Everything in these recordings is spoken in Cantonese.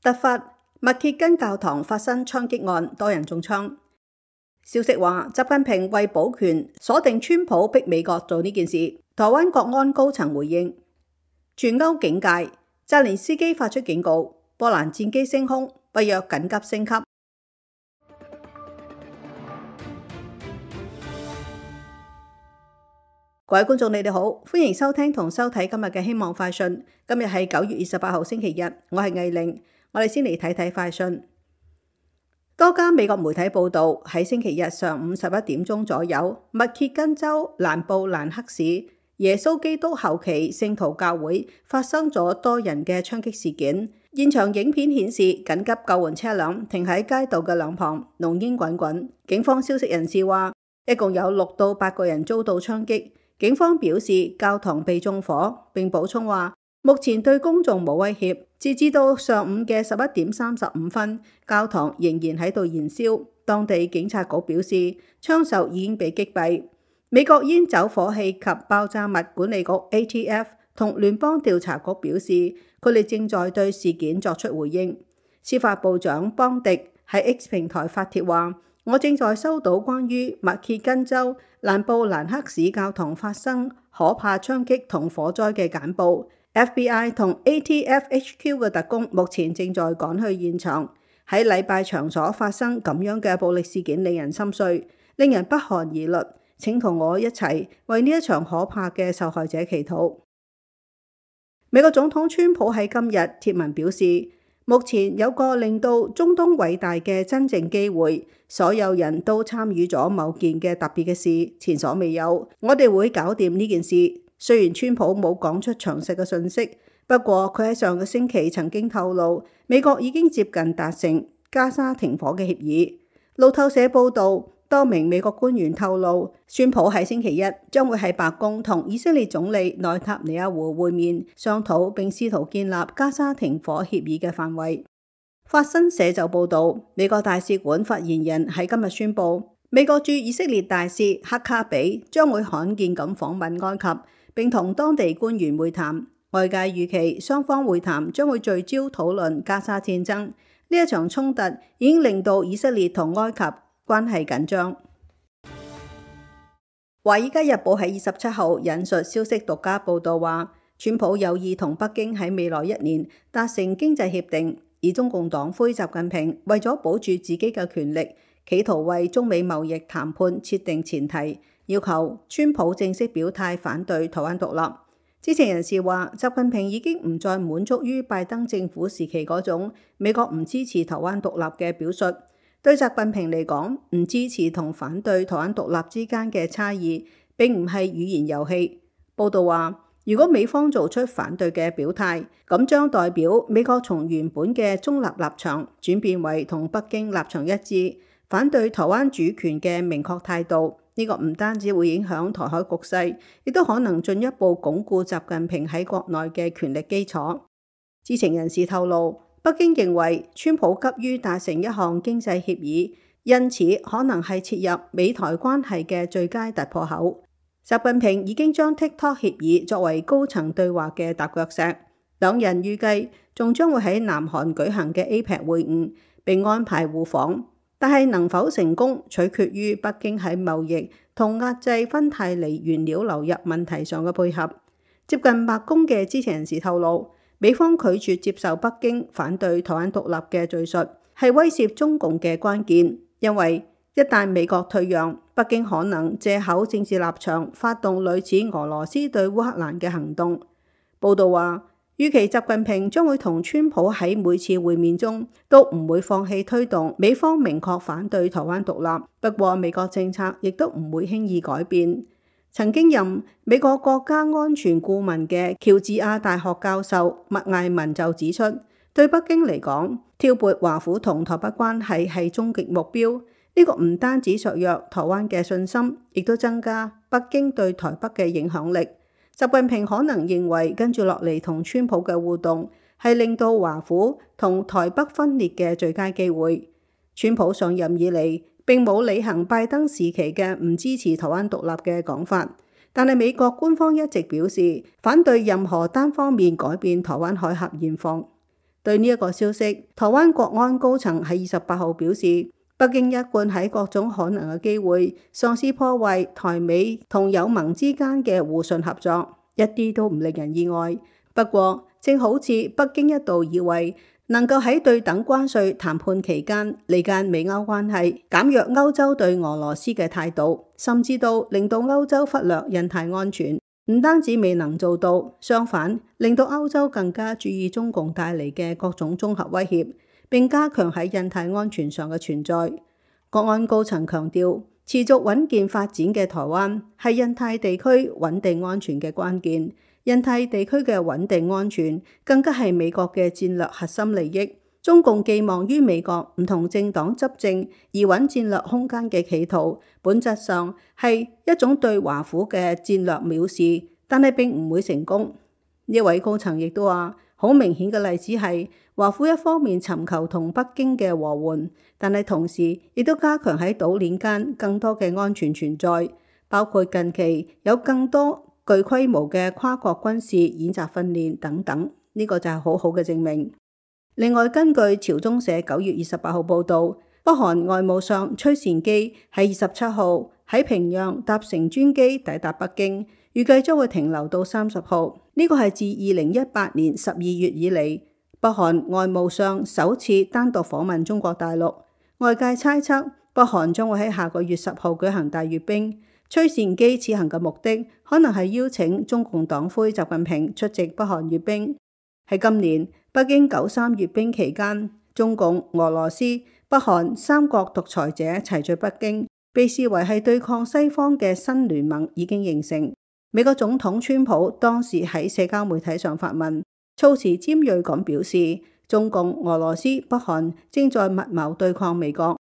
突發密歇根教堂發生槍擊案，多人中槍。消息話，習近平為保權鎖定川普逼美國做呢件事。台灣國安高層回應，全歐警戒，澤連斯基發出警告，波蘭戰機升空，北約緊急升級。各位觀眾，你哋好，歡迎收聽同收睇今日嘅希望快訊。今日係9月28號星期日，我係藝玲。我哋先嚟睇睇快訊。多家美國媒體報道，喺星期日上午11點鐘左右，密歇根州蘭布蘭克市耶穌基督後期聖徒教會發生咗多人嘅槍擊事件。現場影片顯示，緊急救援車輛停喺街道嘅兩旁，濃煙滾滾。警方消息人士話，一共有6到8個人遭到槍擊。警方表示教堂被縱火，並補充話目前對公眾冇威脅。截至到上午嘅11點35分，教堂仍然喺度燃燒。當地警察局表示槍手已經被擊斃。美國煙酒火氣及爆炸物管理局 ATF 同聯邦調查局表示，佢哋正在對事件作出回應。司法部長邦迪喺 X 平台發帖話，我正在收到關於密歇根州蘭布蘭克市教堂發生可怕槍擊同火災嘅簡報。FBI 同 ATF HQ 嘅特工目前正在趕去現場。喺禮拜場所發生咁樣嘅暴力事件令人心碎，令人不寒而慄。請同我一齊為呢一場可怕嘅受害者祈禱。美國總統川普喺今日貼文表示，目前有個令到中東偉大嘅真正機會，所有人都參與咗某件嘅特別嘅事，前所未有。我哋會搞掂呢件事。雖然川普冇講出詳細嘅信息，不過佢喺上個星期曾經透露，美國已經接近達成加沙停火嘅協議。路透社報道，多名美國官員透露，川普喺星期一將會喺白宮同以色列總理內塔尼亞胡會面，商討並試圖建立加沙停火協議嘅範圍。法新社就報道，美國大使館發言人喺今日宣布，美國駐以色列大使克卡比將會罕見咁訪問埃及，並同當地官員會談。外界預期雙方會談將會聚焦討論加沙戰爭。呢一場衝突已經令到以色列同埃及關係緊張。華爾街日報喺27號引述消息獨家報道話，川普有意同北京喺未來1年達成經濟協定，而中共黨魁習近平為咗保住自己嘅權力，企圖為中美貿易談判設定前提，要求川普正式表態反對台灣獨立。知情人士話，習近平已經唔再滿足於拜登政府時期嗰種美國唔支持台灣獨立嘅表述。對習近平嚟講，唔支持同反對台灣獨立之間嘅差異並唔係語言遊戲。報道話，如果美方做出反對嘅表態，咁將代表美國從原本嘅中立立場轉變為同北京立場一致，反對台灣主權嘅明確態度。呢個唔單止會影響台海局勢，亦都可能進一步鞏固習近平喺國內嘅權力基礎。知情人士透露，北京認為川普急於達成一項經濟協議，因此可能係切入美台關係嘅最佳突破口。習近平已經將 TikTok 協議作為高層對話嘅踏腳石。兩人預計仲將會喺南韓舉行嘅 APEC 會晤，並安排互訪。但係能否成功，取決於北京喺貿易同壓制芬太尼原料流入問題上嘅配合。接近白宮嘅知情人士透露，美方拒絕接受北京反對台灣獨立嘅敘述，係威懾中共嘅關鍵。因為一旦美國退讓，北京可能借口政治立場發動類似俄羅斯對烏克蘭嘅行動。報道話，預期習近平將會同川普喺每次會面中都唔會放棄推動美方明確反對台灣獨立。不過美國政策亦都唔會輕易改變。曾經任美國國家安全顧問嘅喬治亞大學教授麥艾文就指出，對北京嚟講，挑撥華府同台北關係係終極目標。呢個唔單止削弱台灣嘅信心，亦都增加北京對台北嘅影響力。習近平可能認為跟住落嚟同川普嘅互動係令到華府同台北分裂嘅最佳機會。川普上任以嚟並冇履行拜登時期嘅唔支持台灣獨立嘅講法，但係美國官方一直表示反對任何單方面改變台灣海峽現況。對呢一個消息，台灣國安高層喺28號表示，北京一貫喺各種可能嘅機會嘗試破壞台美同友盟之間嘅互信合作，一啲都唔令人意外。不過，正好似北京一度以為能夠喺對等關稅談判期間離間美歐關係，減弱歐洲對俄羅斯嘅態度，甚至到令到歐洲忽略印太安全，唔單止未能做到，相反令到歐洲更加注意中共帶嚟嘅各種綜合威脅，並加強喺印太安全上嘅存在。國安高層強調，持續穩健發展嘅台灣係印太地區穩定安全嘅關鍵。印太地區嘅穩定安全更加係美國嘅戰略核心利益。中共寄望於美國唔同政黨執政而穩戰略空間嘅企圖，本質上係一種對華府嘅戰略藐視，但係並唔會成功。呢位高層亦都話，好明顯嘅例子係華府一方面尋求同北京嘅和緩，但係同時亦都加強喺島鏈間更多嘅安全存在，包括近期有更多具規模嘅跨國軍事演習訓練等等，呢個就係好好嘅證明。另外，根據朝中社9月28號報導，北韓外務相崔善基喺27號喺平壤搭乘專機抵達北京，預計將會停留到30號。呢個係自2018年12月以嚟，北韓外務相首次單獨訪問中國大陸。外界猜測北韓將會喺下個月10號舉行大閱兵。崔善基此行嘅目的可能係邀請中共黨魁習近平出席北韓閱兵。喺今年北京93閱兵期間，中共、俄羅斯、北韓三國獨裁者齊聚北京，被視為係對抗西方嘅新聯盟已經形成。美國總統川普當時喺社交媒體上發文，措辭尖銳咁表示，中共、俄羅斯、北韓正在密謀對抗美國。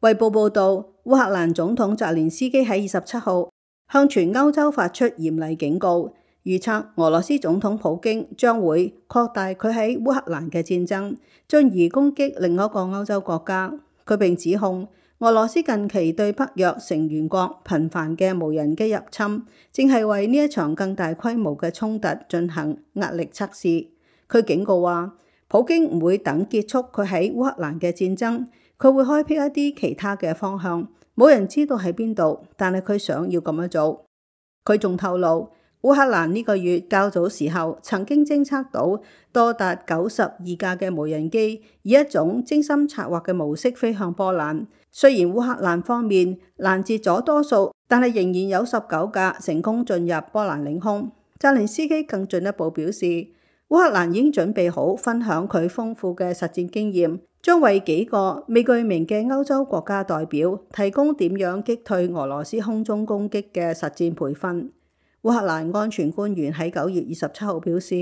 衛報報導，烏克蘭總統澤連斯基喺27號向全歐洲發出嚴厲警告，預測俄羅斯總統普京將會擴大佢喺烏克蘭嘅戰爭，進而攻擊另一個歐洲國家。佢並指控俄羅斯近期對北約成員國頻繁嘅無人機入侵，正係為呢一場更大規模嘅衝突進行壓力測試。佢警告話，普京唔會等結束佢喺烏克蘭嘅戰爭，佢會開闢一啲其他嘅方向，冇人知道喺邊度，但係佢想要咁樣做。佢仲透露，烏克蘭呢個月較早時候曾經偵測到多達92架嘅無人機以一種精心策劃嘅模式飛向波蘭。雖然烏克蘭方面攔截咗多數，但係仍然有19架成功進入波蘭領空。澤連斯基更進一步表示，烏克蘭已經準備好分享佢豐富嘅實戰經驗，將為幾個未具名嘅歐洲國家代表提供點樣擊退俄羅斯空中攻擊嘅實戰培訓。烏克蘭安全官員喺9月27號表示，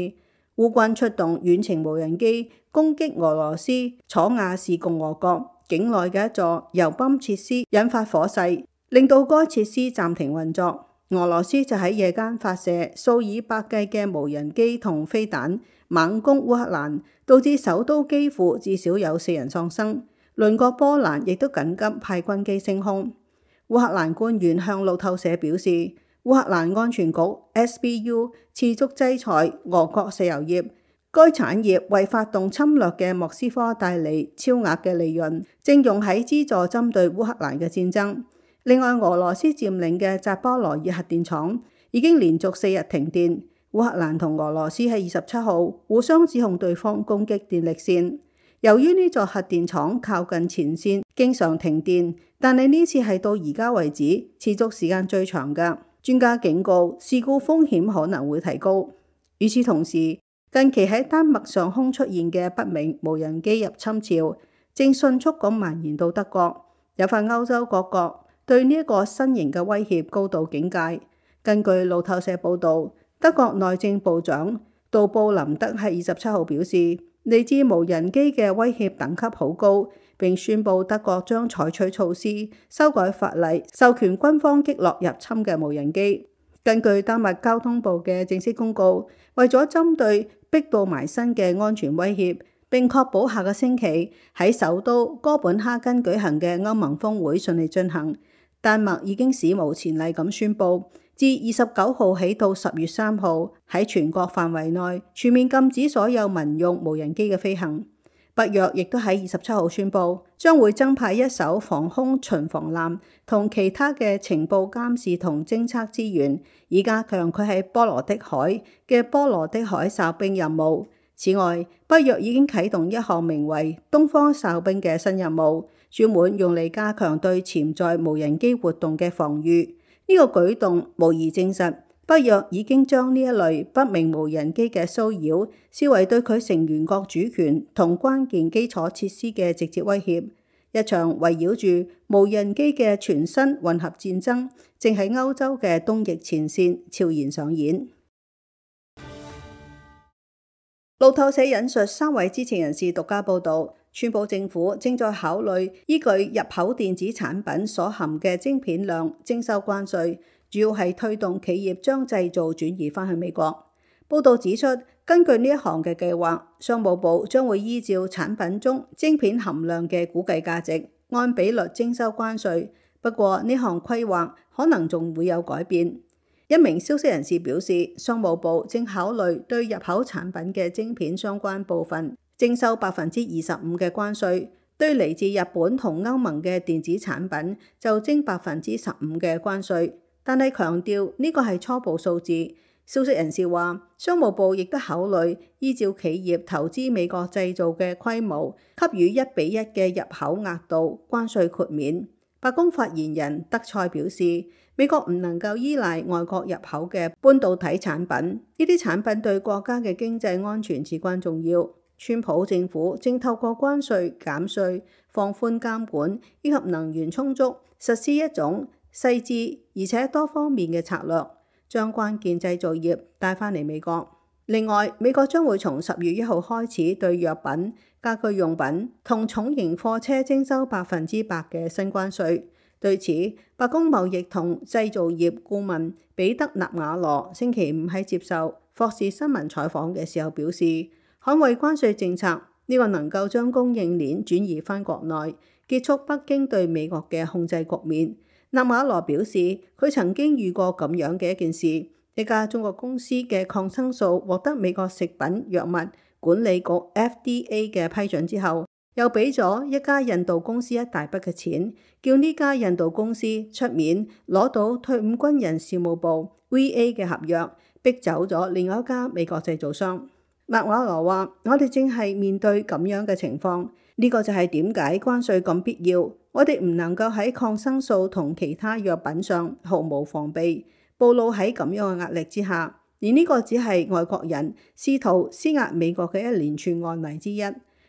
烏軍出動遠程無人機攻擊俄羅斯楚瓦士共和國境內嘅一座油泵設施，引發火勢，令到該設施暫停運作。俄羅斯就喺夜間發射數以百計嘅無人機同飛彈，猛攻烏克蘭，導致首都基輔至少有4人喪生。鄰國波蘭亦都緊急派軍機升空。烏克蘭官員向路透社表示，烏克蘭安全局 SBU 持續制裁俄國石油業，該產業為發動侵略嘅莫斯科帶嚟超額嘅利潤，正用喺資助針對烏克蘭嘅戰爭。另外，俄羅斯佔領嘅扎波羅熱核電廠已經連續4日停電。烏克蘭同俄羅斯喺27號互相指控對方攻擊電力線。由於呢座核電廠靠近前線，經常停電，但係呢次係到而家為止持續時間最長嘅。專家警告，事故風險可能會提高。與此同時，近期喺丹麥上空出現嘅不明無人機入侵潮，正迅速咁蔓延到德國，引發歐洲各國對呢一個新型嘅威脅高度警戒。根據路透社報導，德國內政部長杜布林德喺27號表示，嚟自無人機嘅威脅等級好高，並宣布德國將採取措施修改法例，授權軍方擊落入侵嘅無人機。根據丹麥交通部嘅正式公告，為咗針對逼到埋身嘅安全威脅，並確保下個星期喺首都哥本哈根舉行嘅歐盟峰會順利進行，丹麥已經史無前例咁宣布，自29號起到10月3號，喺全國範圍內全面禁止所有民用無人機嘅飛行。北約亦都喺27號宣布，將會增派一艘防空巡防艦同其他嘅情報監視同偵測資源，以加強佢喺波羅的海嘅波羅的海哨兵任務。此外，北約已經啟動一項名為東方哨兵嘅新任務，專門用嚟加強對潛在無人機活動嘅防禦。呢個舉動無疑證實，北約已經將呢一類不明無人機嘅騷擾視為對佢成員國主權同關鍵基礎設施嘅直接威脅。一場圍繞住無人機嘅全新混合戰爭，正喺歐洲嘅東翼前線悄然上演。路透社引述3位知情人士獨家報導，川普政府正在考慮依據入口電子產品所含嘅晶片量徵收關稅，主要係推動企業將製造轉移返去美國。報導指出，根據呢一項嘅計劃，商務部將會依照產品中晶片含量嘅估計價值，按比率徵收關稅。不過呢項規劃可能仲會有改變。一名消息人士表示，商務部正考慮對入口產品嘅晶片相關部分徵收25%嘅關稅，對嚟自日本同歐盟嘅電子產品就徵15%嘅關稅。但係強調呢個係初步數字。消息人士話，商務部亦都考慮依照企業投資美國製造嘅規模，給予1:1嘅入口額度關稅豁免。白宮發言人德塞表示，美國唔能夠依賴外國入口嘅半導體產品，呢啲產品對國家嘅經濟安全至關重要。川普政府正透過關稅、減稅、放寬監管以及能源充足，實施一種細緻而且多方面嘅策略，將關鍵製造業帶返嚟美國。另外，美國將會從10月1號開始對藥品、家居用品同重型貨車徵收100%嘅新關稅。對此，白宮貿易同製造業顧問彼得納瓦羅星期五喺接受霍士新聞採訪嘅時候表示，捍衛關稅政策呢個能夠將供應鏈轉移返國內，結束北京對美國嘅控制局面。納瓦羅表示，佢曾經遇過咁樣嘅一件事，一家中國公司嘅抗生素獲得美國食品藥物管理局 FDA 嘅批准之後，又俾咗一家印度公司一大筆嘅錢，叫呢家印度公司出面攞到退伍軍人事務部 VA 嘅合約，逼走咗另外一家美國製造商。納瓦羅話：我哋正係面對咁樣嘅情況，呢個就係點解關稅咁必要。我哋唔能夠喺抗生素同其他藥品上毫無防備，暴露喺咁樣嘅壓力之下。而呢個只係外國人試圖施壓美國嘅一連串案例之一。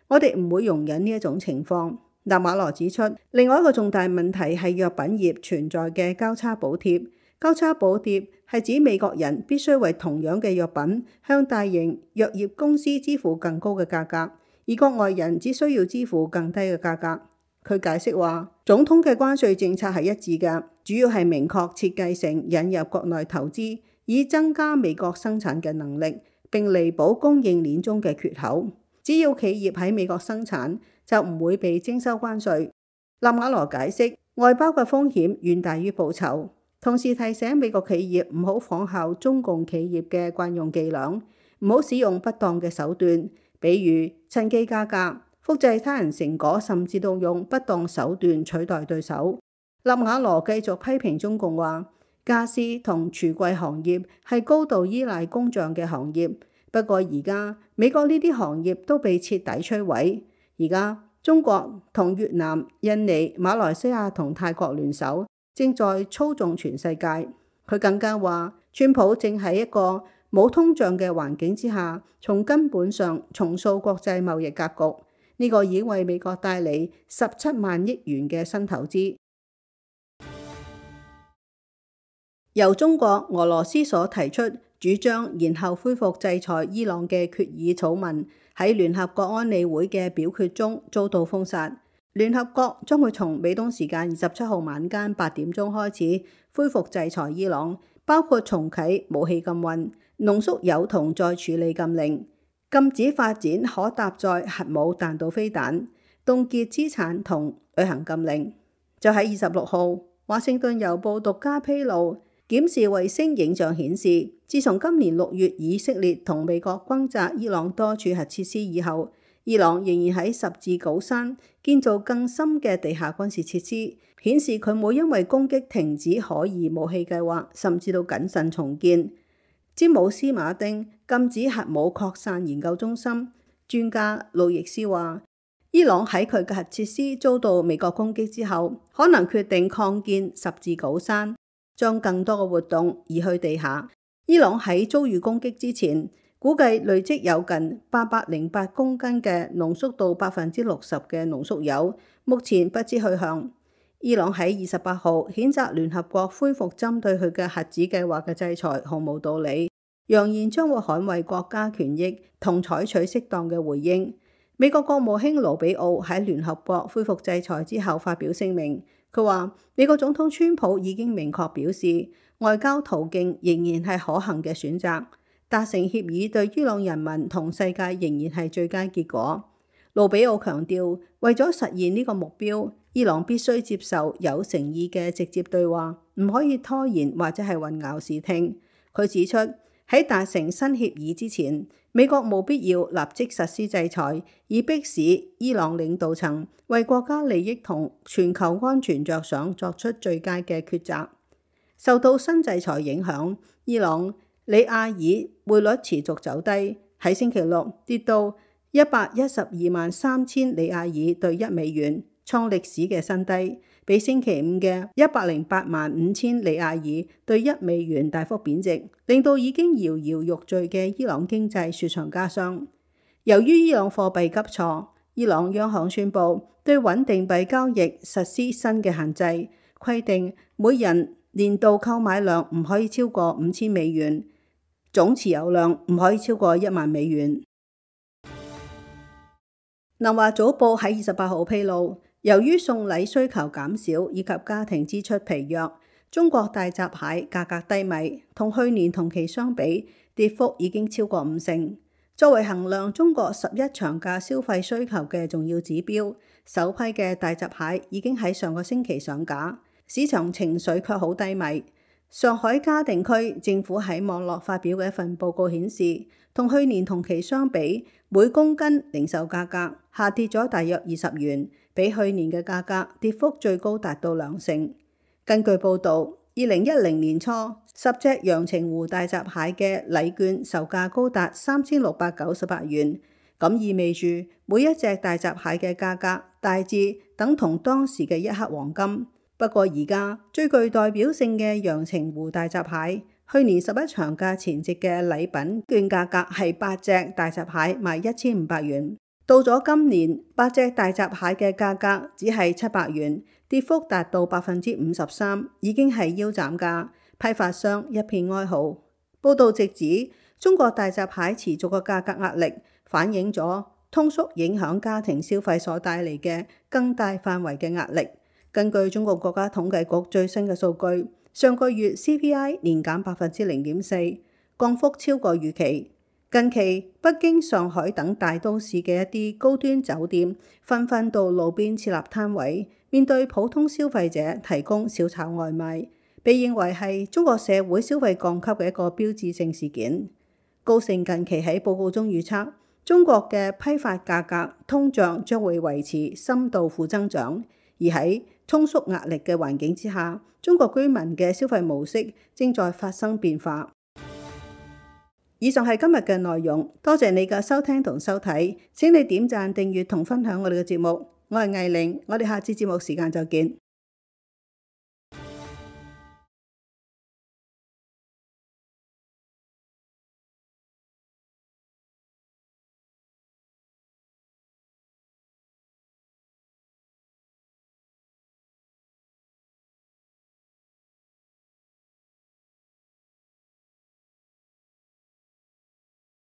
我哋唔會容忍呢一種情況。納瓦羅指出，另外一個重大問題係藥品業存在嘅交叉補貼。交叉補貼係指美國人必須為同樣嘅藥品向大型藥業公司支付更高嘅價格，而國外人只需要支付更低嘅價格。佢解釋話，總統嘅關稅政策係一致嘅，主要係明確設計成引入國內投資，以增加美國生產嘅能力，並彌補供應鏈中嘅缺口。只要企業喺美國生產，就唔會被徵收關稅。納瓦羅解釋，外包嘅風險遠大於報酬，同時提醒美國企業唔好仿效中共企業嘅慣用伎倆，唔好使用不當嘅手段，比如趁機加價、複製他人成果，甚至到用不當手段取代對手。納瓦羅繼續批評中共話，家私同櫥櫃行業係高度依賴工匠嘅行業。不過而家美國呢啲行業都被徹底摧毀。而家中國同越南、印尼、馬來西亞同泰國聯手，正在操縱全世界。佢更加話，川普正喺一個冇通脹嘅環境之下，從根本上重塑國際貿易格局。呢個已經為美國帶嚟17萬億元嘅新投資。由中國、俄羅斯所提出主張延後恢復制裁伊朗嘅決議草文喺聯合國安理會嘅表決中遭到封殺。聯合國將會從美東時間27號晚間8點鐘開始恢復制裁伊朗，包括重啟武器禁運、濃縮鈾銅再處理禁令、禁止發展可搭載核武彈道飛彈、凍結資產同旅行禁令。就喺26號，華盛頓郵報獨家披露，檢視衛星影像顯示，自從今年6月以色列同美國轟炸伊朗多處核設施以後，伊朗仍然喺十字稿山建造更深嘅地下軍事設施，顯示佢冇因為攻擊停止可疑武器計劃，甚至到謹慎重建。詹姆斯馬丁禁止核武擴散研究中心專家路易斯話，伊朗喺佢嘅核設施遭到美國攻擊之後，可能決定擴建十字稿山，將更多嘅活動移去地下。伊朗喺遭遇攻擊之前，估計累積有近808公斤嘅濃縮度60%嘅濃縮鈾，目前不知去向。伊朗喺28號譴責聯合國恢復針對佢嘅核子計劃嘅制裁毫無道理，揚言將會捍衛國家權益同採取適當嘅回應。美國國務卿盧比奧喺聯合國恢復制裁之後發表聲明，佢話美國總統川普已經明確表示，外交途徑仍然係可行嘅選擇，達成協議對伊朗人民同世界仍然係最佳結果。盧比奧強調，為咗實現呢個目標，伊朗必須接受有誠意嘅直接對話，唔可以拖延或者係混淆視聽。佢指出，喺達成新協議之前，美國冇必要立即實施制裁，以迫使伊朗領導層為國家利益同全球安全着想作出最佳嘅抉擇。受到新制裁影響，伊朗里亞爾匯率持續走低，喺星期六跌到1123000里亞爾對1美元，創歷史嘅新低，比星期五嘅1085000里亞爾對1美元大幅貶值，令到已經搖搖欲墜嘅伊朗經濟雪上加霜。由於伊朗貨幣急挫，伊朗央行宣布對穩定幣交易實施新嘅限制，規定每人年度購買量唔可以超過5000美元，總持有量唔可以超過1萬美元。南華早報喺28號披露，由於送禮需求減少以及家庭支出疲弱，中國大閘蟹價格低迷，同去年同期相比，跌幅已經超過50%。作為衡量中國11長假消費需求嘅重要指標，首批嘅大閘蟹已經喺上個星期上架，市場情緒卻好低迷。上海嘉定區政府喺網絡發表嘅一份報告顯示，同去年同期相比，每公斤零售價格下跌咗大約20元，比去年嘅價格跌幅最高達到2成。根據報導，2010年初10隻陽澄湖大閘蟹嘅禮券售價高達3698元，咁意味住每一隻大閘蟹嘅價格大致等同當時嘅1克黃金。不過而家最具代表性嘅陽澄湖大閘蟹，去年11長假前夕嘅禮品券價格係8隻大閘蟹賣1500元，到咗今年8隻大閘蟹嘅價格只係700元，跌幅達到53%，已經係腰斬價，批發商一片哀嚎。報道直指，中國大閘蟹持續嘅價格壓力，反映咗通縮影響家庭消費所帶嚟嘅更大範圍嘅壓力。根據中國國家統計局最新嘅數據，上個月 CPI 年減0.4%，降幅超過預期。近期北京、上海等大都市嘅一啲高端酒店紛紛到路邊設立攤位，面對普通消費者提供小炒外賣，被認為係中國社會消費降級嘅一個標誌性事件。高盛近期喺報告中預測，中國嘅批發價格通脹將會維持深度負增長，而喺通縮壓力嘅環境之下，中國居民嘅消費模式正在發生變化。以上係今日嘅內容，多謝你嘅收聽同收睇，請你點讚、訂閱同分享我哋嘅節目。我係艾玲，我哋下次節目時間再見。